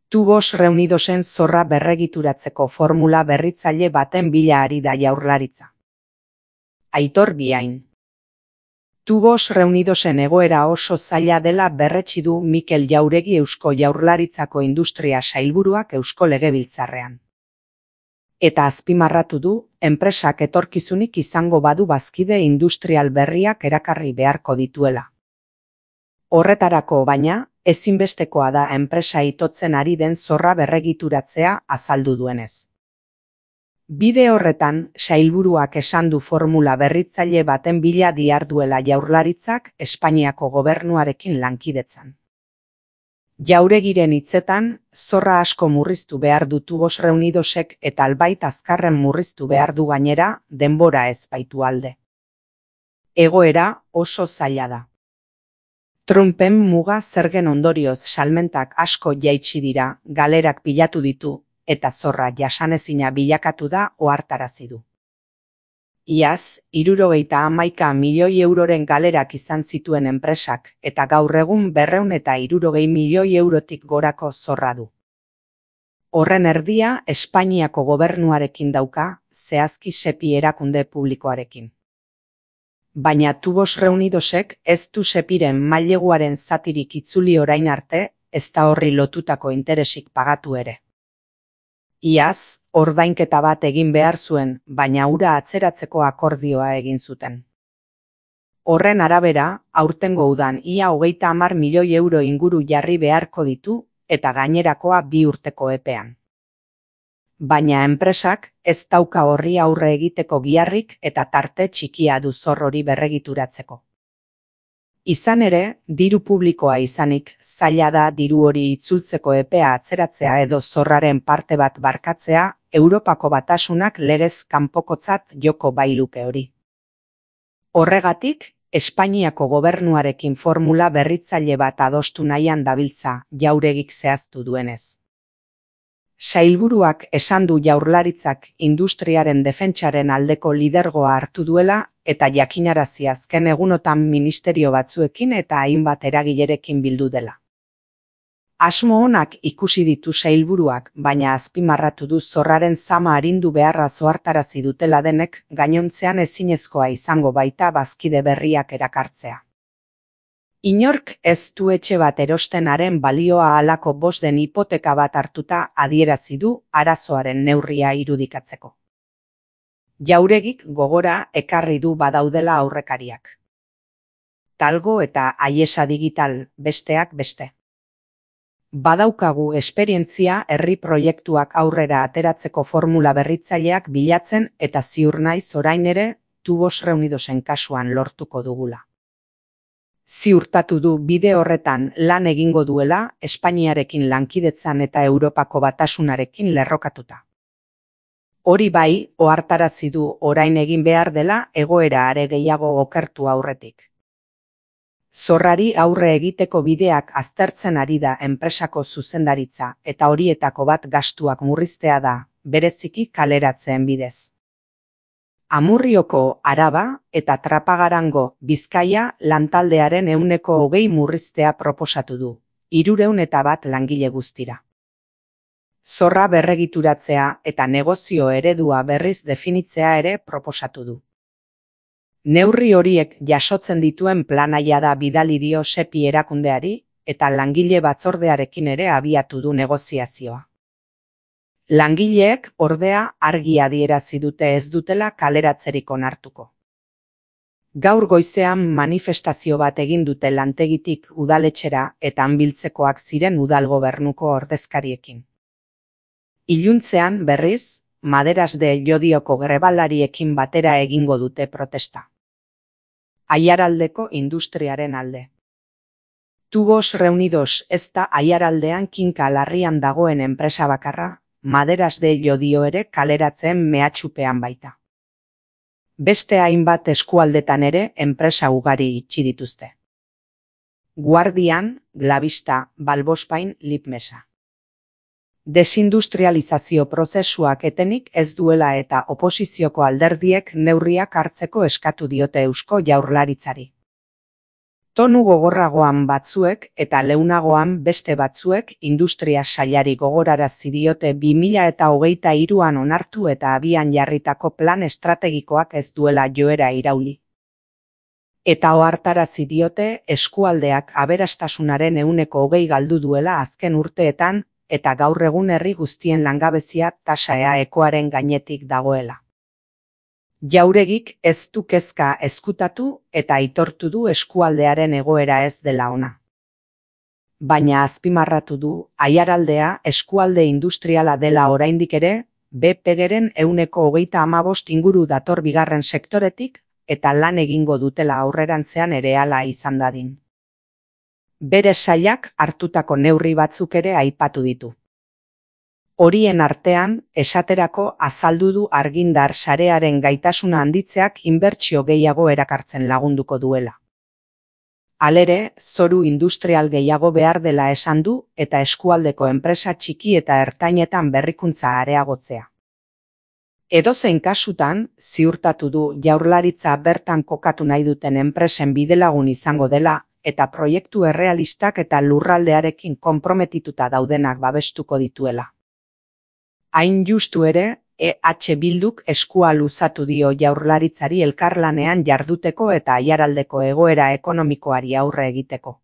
Tubos Reunidosen zorra berregituratzeko formula berritzaile baten bila ari da Jaurlaritza. Aitor Biain. Tubos Reunidosen egoera oso zaila dela berretsi du Mikel Jauregi Eusko Jaurlaritzako Industria Sailburuak Eusko Legebiltzarrean. Eta azpimarratu du, enpresak etorkizunik izango badu bazkide industrial berriak erakarri beharko dituela. Horretarako baina, ezinbestekoa da enpresa itotzen ari den zorra berregituratzea azaldu duenez. Bide horretan, sailburuak esan du formula berritzaile baten bila diharduela Jaurlaritzak Espainiako gobernuarekin lankidetzan. Jauregiren hitzetan, zorra asko murriztu behar du Tubos Reunidosek eta albait azkarren murriztu behar du gainera, denbora ez baitu alde. Egoera oso zaila da. Trumpen muga zergen ondorioz salmentak asko jaitsi dira, galerak pilatu ditu, eta zorra jasanezina bilakatu da ohartarazi du. Iaz, 71 milioi euroren galerak izan zituen enpresak, eta gaur egun 260 milioi eurotik gorako zorra du. Horren erdia Espainiako gobernuarekin dauka, zehazki SEPI erakunde publikoarekin. Baina Tubos Reunidosek ez du SEPIren maileguaren zatirik itzuli orain arte, ez da horri lotutako interesik pagatu ere. Iaz, ordainketa bat egin behar zuen, baina hura atzeratzeko akordioa egin zuten. Horren arabera, aurtengo udan ia 30 milioi euro inguru jarri beharko ditu, eta gainerakoa 2 urteko epean. Baina enpresak ez dauka horri aurre egiteko giharrik eta tarte txikia du zor hori berregituratzeko. Izan ere, diru publikoa izanik, zaila da diru hori itzultzeko epea atzeratzea edo zorraren parte bat barkatzea, Europako Batasunak legez kanpokotzat joko bailuke hori. Horregatik, Espainiako gobernuarekin formula berritzaile bat adostu nahian dabiltza, Jauregik zehaztu duenez. Sailburuak esan du Jaurlaritzak industriaren defentsaren aldeko lidergoa hartu duela eta jakinarazi azken egunotan ministerio batzuekin eta hainbat eragilerekin bildu dela. Asmo onak ikusi ditu sailburuak, baina azpimarratu du zorraren zama arindu beharra ohartarazi dutela denek gainontzean ezinezkoa izango baita bazkide berriak erakartzea. Inork ez du etxe bat erostenaren balioa halako bosten hipoteka bat hartuta adierazi du arazoaren neurria irudikatzeko. Jauregik gogora ekarri du badaudela aurrekariak. Talgo eta Aiesa Digital besteak beste. Badaukagu esperientzia herri proiektuak aurrera ateratzeko formula berritzaileak bilatzen eta ziur naiz orain ere Tubos Reunidosen kasuan lortuko dugula. Ziurtatu du bide horretan lan egingo duela Espainiarekin lankidetzan eta Europako Batasunarekin lerrokatuta. Hori bai, ohartarazi du orain egin behar dela egoera are gehiago okertu aurretik. Zorrari aurre egiteko bideak aztertzen ari da enpresako zuzendaritza eta horietako bat gastuak murriztea da, bereziki kaleratzeen bidez. Amurrioko Araba eta Trapagarango Bizkaia lantaldearen 20% murriztea proposatu du, 301 langile guztira. Zorra berregituratzea eta negozio eredua berriz definitzea ere proposatu du. Neurri horiek jasotzen dituen planaia da bidali dio SEPI erakundeari eta langile batzordearekin ere abiatu du negoziazioa. Langileek ordea argi adierazi dute ez dutela kaleratzerik onartuko. Gaur goizean manifestazio bat egin dute lantegitik udaletxera eta hanbiltzekoak ziren udal gobernuko ordezkariekin. Iluntzean berriz, Maderas de Llodioko grebalariekin batera egingo dute protesta. Aiaraldeko industriaren alde. Tubos Reunidos ez da Aiaraldean kinka larrian dagoen enpresa bakarra, Maderas de Llodio ere kaleratzen mehatxupean baita. Beste hainbat eskualdetan ere enpresa ugari itxi dituzte. Guardian, Glavista, Balbospain, Lipmesa. Desindustrializazio prozesuak etenik ez duela eta oposizioko alderdiek neurriak hartzeko eskatu diote Eusko Jaurlaritzari. Tonu gogorragoan batzuek eta leunagoan beste batzuek industria sailari gogorarazi diote 2023an onartu eta abian jarritako plan estrategikoak ez duela joera irauli. Eta ohartarazi diote eskualdeak aberastasunaren 20% galdu duela azken urteetan eta gaur egun herri guztien langabezia tasa eaekoaren gainetik dagoela. Jauregik ez du kezka ezkutatu eta aitortu du eskualdearen egoera ez dela ona. Baina azpimarratu du Aiaraldea eskualde industriala dela oraindik ere, BPGren 35% inguru dator bigarren sektoretik eta lan egingo dutela aurrerantzean ere hala izan dadin. Bere sailak hartutako neurri batzuk ere aipatu ditu. Horien artean, esaterako azaldu du argindar sarearen gaitasuna handitzeak inbertsio gehiago erakartzen lagunduko duela. Halere, zoru industrial gehiago behar dela esan du eta eskualdeko enpresa txiki eta ertainetan berrikuntza areagotzea. Edozein kasutan, ziurtatu du Jaurlaritza bertan kokatu nahi duten enpresen bidelagun izango dela eta proiektu errealistak eta lurraldearekin konprometituta daudenak babestuko dituela. Hain justu ere, EH Bilduk eskua luzatu dio Jaurlaritzari elkarlanean jarduteko eta Aiaraldeko egoera ekonomikoari aurre egiteko.